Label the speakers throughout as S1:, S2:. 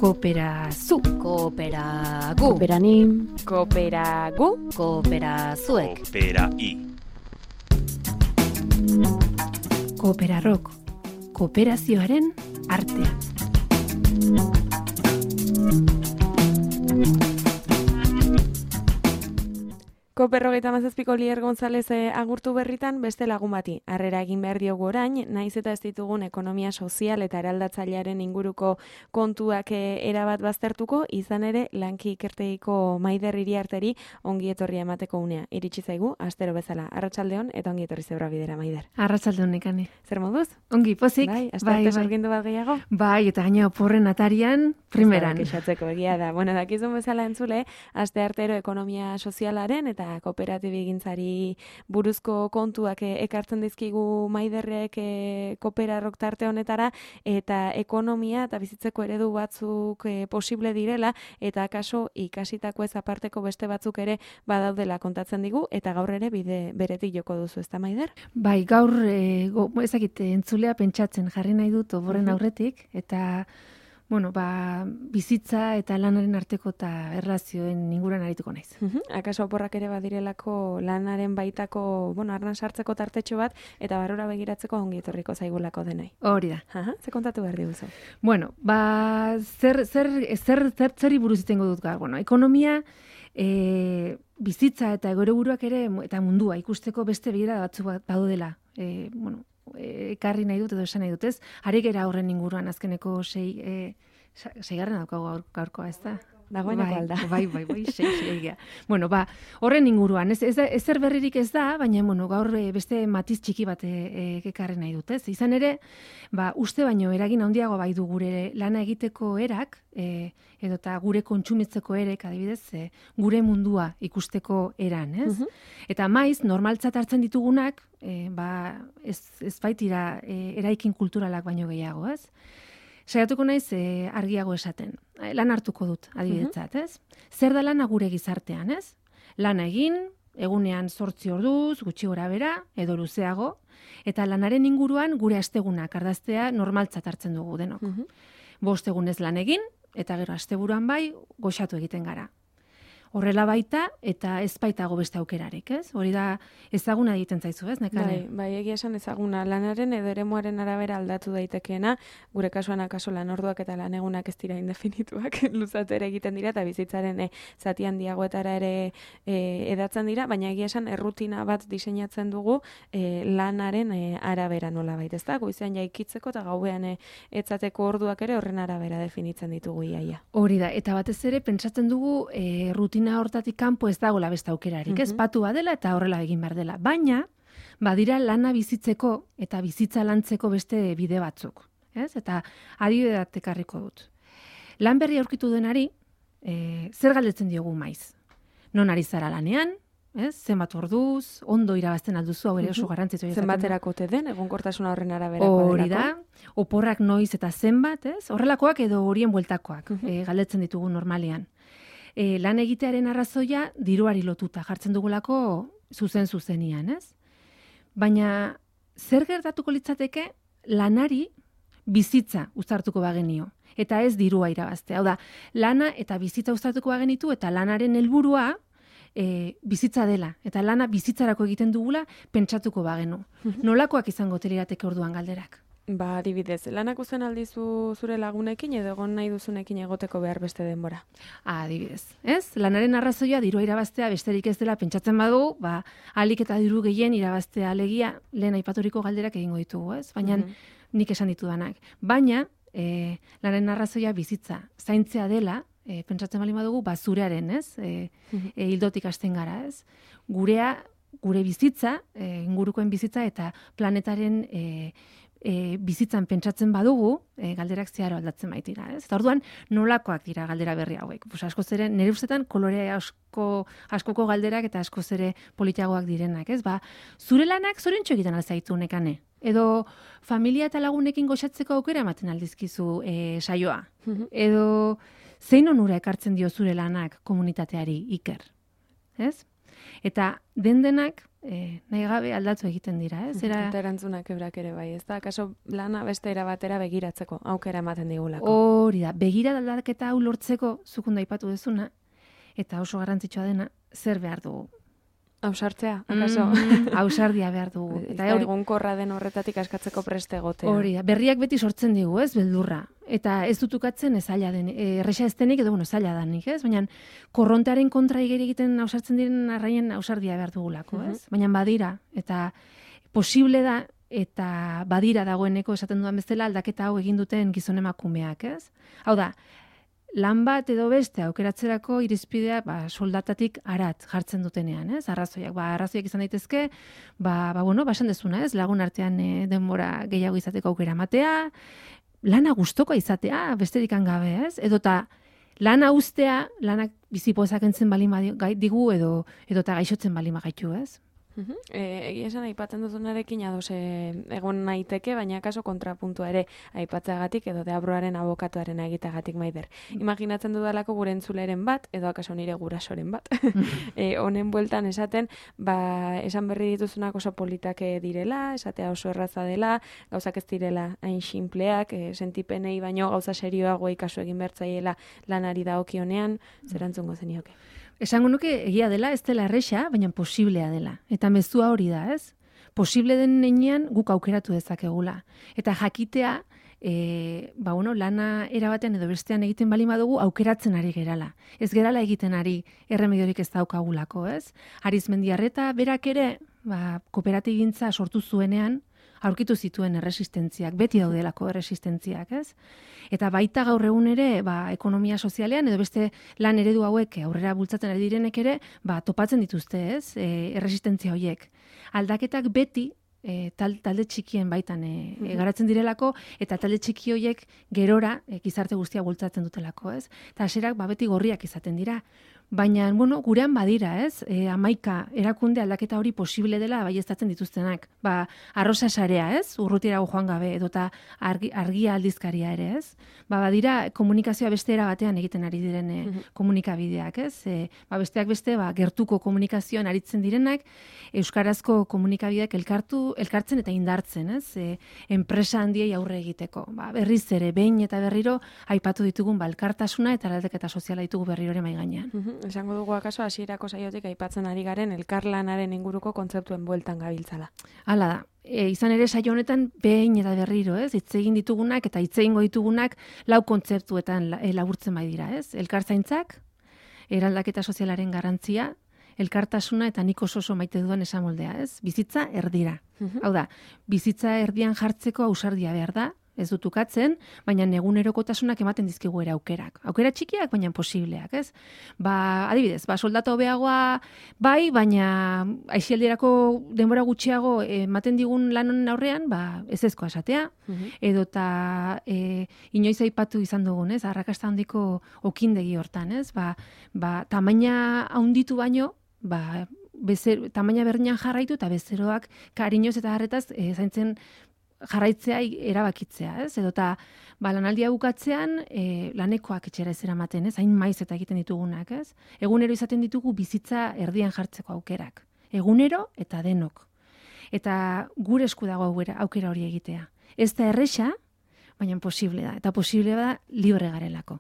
S1: Kooperazu.
S2: Kooperagu.
S1: Kooperanim.
S2: Kooperagu. Kooperazuek.
S3: Kooperai.
S1: Kooperarrok. Kooperazioaren artea.
S4: Koperrogeita mazazpiko Lier González agurtu berritan beste lagun bati. Harrera egin behar diogu orain, naiz eta ez ditugun ekonomia sozial eta eraldatzailearen inguruko kontuak erabat baztertuko, izan ere lanki ikertegiko Maider Iriarteri ongi etorria emateko unea. Iritsi zaigu, astero bezala. Arratsaldeon eta ongi etorri Zebra Bidera, Maider.
S1: Arratsaldeon nekane.
S4: Zer moduz?
S1: Ongi, pozik.
S4: Bai, astarte sorgindu bat gehiago?
S1: Bai, eta gaina oporren atarian, primeran.
S4: Kexatzeko egia da. Bueno, dakizun bezala entzule, aste artero ekonomia sozialaren eta kooperatibigintzari buruzko kontuak ekartzen dizkigu Maiderrek Kooperarrok tarte honetara, eta ekonomia eta bizitzeko eredu batzuk posible direla, eta akaso ikasitako ez aparteko beste batzuk ere badaudela kontatzen digu, eta gaur ere bide beretik joko duzu, ezta Maider?
S1: Bai, gaur ezakit entzulea pentsatzen jarri nahi dut oborren aurretik, eta bueno, bizitza eta lanaren arteko eta erlazioen inguruan arituko naiz.
S4: Akaso oporrak ere badirelako lanaren baitako, arnan sartzeko tartetxo bat, eta barrura begiratzeko ongi etorriko zaigulako denai.
S1: Hori da.
S4: Ze kontatu behar diguzu?
S1: Bueno, zeri buruz itengo dut gaur. Bueno, ekonomia, bizitza eta egoreburuak ere, eta mundua ikusteko beste begira batzuk badudela. Ekarri nahi dut edo esan nahi dut, ez? Ari gera horren inguruan azkeneko seigarren daukagu gaurkoa, ez da?
S4: Dagoeneko alda.
S1: Bai, sei. Bueno, horren inguruan, ezer berririk ez da, baina gaur beste matiz txiki bat ekarri nahi dut, ez? Izan ere, uste baino eragin handiago bai du gure lana egiteko erak, edota gure kontsumitzeko erek, adibidez, gure mundua ikusteko eran, ez? Eta maiz, normaltzat hartzen ditugunak, ez baitira eraikin kulturalak baino gehiago, ez? Saiatuko naiz argiago esaten. Lan hartuko dut, adibidetzat, ez? Zer da lana gure gizartean, ez? Lana egin, egunean 8 orduz, gutxi gorabehera, edo luzeago, eta lanaren inguruan gure astegunak ardaztea normaltzat hartzen dugu denok. 5 egunez lan egin, eta gero asteburuan bai, goxatu egiten gara. Horrela baita, eta ez baitago beste aukerarik, ez? Hori da ezaguna egiten zaizu, ez, Nekane?
S4: Bai, egia esan ezaguna. Lanaren edo eremuaren arabera aldatu daitekeena, gure kasuan akaso lanorduak eta lanegunak ez dira indefinituak, luzatu ere egiten dira, eta bizitzaren zati handiagoetara ere edatzen dira, baina egia esan errutina bat diseinatzen dugu lanaren arabera nola baita, ez da? Goizean jaikitzeko eta gauean etzateko orduak ere horren arabera definitzen ditugu iaia.
S1: Hori da, eta batez ere pentsatzen dugu rutina hortatik kanpo ez dagoela beste aukerarik, ez? Batu badela eta horrela egin behar dela. Baina, badira lana bizitzeko eta bizitza lantzeko beste bide batzuk, ez? Eta adibide bat ekarriko dut. Lan berri aurkitu denari, zer galdetzen diogu maiz? Non ari zara lanean, ez? Zenbat orduz, ondo irabazten alduzu, hau ere oso garrantzitsua izaten.
S4: Zenbaterako ote den, egonkortasuna horren araberakoa delako.
S1: Hori da, oporrak noiz eta zenbat, ez? Horrelakoak edo horien bueltakoak galdetzen ditugu normalean. Lan egitearen arrazoia diruari lotuta jartzen dugulako zuzenian, ez? Baina zer gertatuko litzateke lanari bizitza uztartuko bagenio, eta ez dirua irabaztea. Hau da, lana eta bizitza uztartuko bagenitu, eta lanaren helburua bizitza dela, eta lana bizitzarako egiten dugula pentsatuko bagenu. Nolakoak izango lirateke orduan galderak?
S4: Adibidez, lanak uzen aldizu zure lagunekin edo egon nahi duzunekin egoteko behar beste denbora?
S1: Adibidez, ez? Lanaren arrazoia dirua irabaztea besterik ez dela pentsatzen badu, ahalik eta diru gehien irabaztea alegia lehen aipaturiko galderak egingo ditugu, ez? Baina nik esan ditudanak. Baina, lanaren arrazoia bizitza zaintzea dela, pentsatzen bali badugu, zurearen, ez? Hildotik hasten gara, ez? Gure bizitza, ingurukoen bizitza eta planetaren bizitzan pentsatzen badugu, galderak zeharo aldatzen baitira, ez? Eta orduan, nolakoak dira galdera berri hauek? Askoz ere, nire ustetan, kolore askoko galderak eta askoz ere politiagoak direnak, ez? Zure lanak zoriontxo egiten alzaitu Nekane? Edo familia eta lagunekin goxatzeko aukera ematen aldizkizu saioa? Edo zein onura ekartzen dio zure lanak komunitateari, Iker? Ez? Eta denak nahi gabe aldatu egiten dira, ez?
S4: Eta erantzunak ebrak ere bai, ez da? Akaso lana beste era batera begiratzeko, aukera ematen digulako.
S1: Hori da, begira aldaketa hau lortzeko, zukunda aipatu dezuna, eta oso garrantzitsua dena, zer behar dugu.
S4: Ausartzea, akaso?
S1: Ausardia behar dugu.
S4: Eta egunkorra den horretatik askatzeko preste egotea.
S1: Hori da, berriak beti sortzen digu, ez, beldurra. Eta ez dutukatzen ez zaila den, erresa ez denik edo, zaila danik, ez? Baina korrontearen kontra egiten ausartzen diren arraien ausardia behar dugulako, ez? Baina badira, eta posible da, eta badira dagoeneko esaten dudan bezala aldaketa hau egin duten gizon emakumeak, ez? Hau da, lan bat edo beste aukeratzerako irizpidea soldatatik arat jartzen dutenean, ez? Arrazoiak, arrazoiak izan daitezke, esan dezuna, ez? Lagun artean denbora gehiago izateko aukera ematea, lana gustokoa izatea, besterik gabe, ez? Edota lana uztea, lanak bizipoezak entzen balin digu edota gaixotzen balin gaitu, ez?
S4: Egia esan aipatzen duzunarekin ados egon naiteke, baina kaso kontrapuntua ere aipatzeagatik edo Deabruaren abokatuaren egiteagatik Maider. Imaginatzen dudalako gure entzuleren bat, edo akaso nire gurasoren bat, honen bueltan esaten, esan berri dituzunak oso politak direla, esatea oso erraza dela, gauzak ez direla hain sinpleak, sentipenei baino gauza serioagoa ikasu egin bertzaiela lanari dagokionean, zerantzungo zenioke?
S1: Esango nuke egia dela, ez dela erresa, baina posiblea dela. Eta mezua hori da, ez? Posible den heinean guk aukeratu dezakegula. Eta jakitea, lana erabatean edo bestean egiten bali badugu aukeratzen ari gerala. Ez gerala egiten ari erremediorik ez daukagulako, ez? Arizmendiarreta berak ere, kooperatibintza sortu zuenean, aurkitu zituen erresistentziak, beti daudelako erresistentziak, ez? Eta baita gaur egun ere, ekonomia sozialean edo beste lan eredu hauek aurrera bultzatzen ari direnek ere, topatzen dituzte, ez? Erresistentzia horiek. Aldaketak beti talde txikien baitan garatzen direlako, eta talde txiki horiek gerora gizarte guztia bultzatzen dutelako, ez? Eta haserak beti gorriak izaten dira. Baina, gurean badira, ez? 11 erakunde aldaketa hori posible dela baieztatzen dituztenak. Arrosa sarea, ez? Urrutirago joan gabe, edota argia aldizkaria ere, ez? Badira komunikazioa beste era batean egiten ari diren komunikabideak, ez? Besteak beste, gertuko komunikazioan aritzen direnak, euskarazko komunikabideak elkartzen eta indartzen, ez? Enpresa handiei aurre egiteko. Berriz ere, behin eta berriro, aipatu ditugun elkartasuna eta aldaketa soziala ditugu berriro ere mai gainean.
S4: Esango dugu akaso hasierako saiotik aipatzen ari garen elkarlanaren inguruko kontzeptuen bueltan gabiltzala.
S1: Hala da. Izan ere saio honetan behin eta berriro, ez? Hitz egin ditugunak eta hitz egingo ditugunak 4 kontzeptuetan laburtzen bai dira, ez? Elkartzaintzak, eraldaketa sozialaren garrantzia, elkartasuna eta nik oso maite dudan esamoldea, ez? Bizitza erdira. Hau da, bizitza erdian jartzeko ausardia behar da, ez dut ukatzen, baina egunerokotasunak ematen dizkigu ere aukerak. Aukera txikiak, baina posibleak, ez? Adibidez, soldata hobeagoa bai, baina aisialdirako denbora gutxiago ematen digun lanon aurrean, ezezkoa esatea, edota inoiz aipatu izan dugun, ez? Arrakasta handiko okindegi hortan, ez? Tamaina handitu baino, tamaina berdinan jarraitu eta bezeroak kariñoz eta harretaz zaintzen jarraitzea erabakitzea, ez? Edota lanaldia bukatzean lanekoak etxera ez eramaten, ez? Hain maiz eta egiten ditugunak, ez? Egunero izaten ditugu bizitza erdian jartzeko aukerak. Egunero eta denok. Eta gure esku dago aukera hori egitea. Ez da erresa, baina posible da. Eta posible da libre garelako.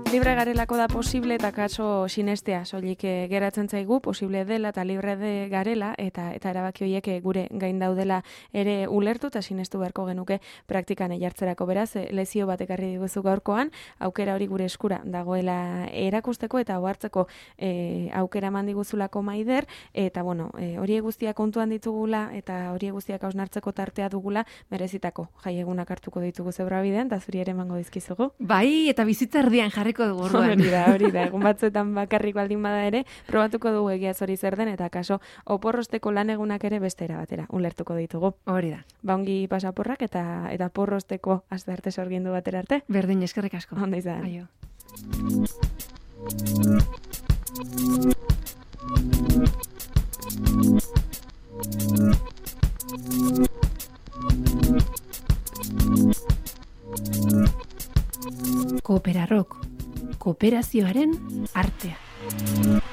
S4: Libre garelako da posible eta kaso sinestea, soilik geratzen zaigu posible dela eta libre garela eta erabaki horiek gure gain daudela ere ulertu eta sinestu beharko genuke praktikan jartzerako. Beraz, lezio bat ekarri diguzu gaurkoan, aukera hori gure eskura dagoela erakusteko eta ohartzeko aukera eman diguzulako Maider, eta hori guztiak kontuan ditugula eta hori guztiak hausnartzeko tartea dugula merezitako jaiegunak hartuko ditugu Zebrabidean, eta zuri ere emango dizkizugu.
S1: Bai, eta bizitza erdian jarriko dugu orduan.
S4: Hori da, egun batzuetan bakarrik baldin bada ere, probatuko dugu egia hori zer den, eta kaso oporrosteko lan egunak ere beste era batera, ulertuko ditugu.
S1: Hori da.
S4: Ongi pasaporrak eta porrosteko astearte sorgindu batera arte.
S1: Berdin, eskerrik asko.
S4: Ondo izan.
S1: Aio. Kooperarok, kooperazioaren artea.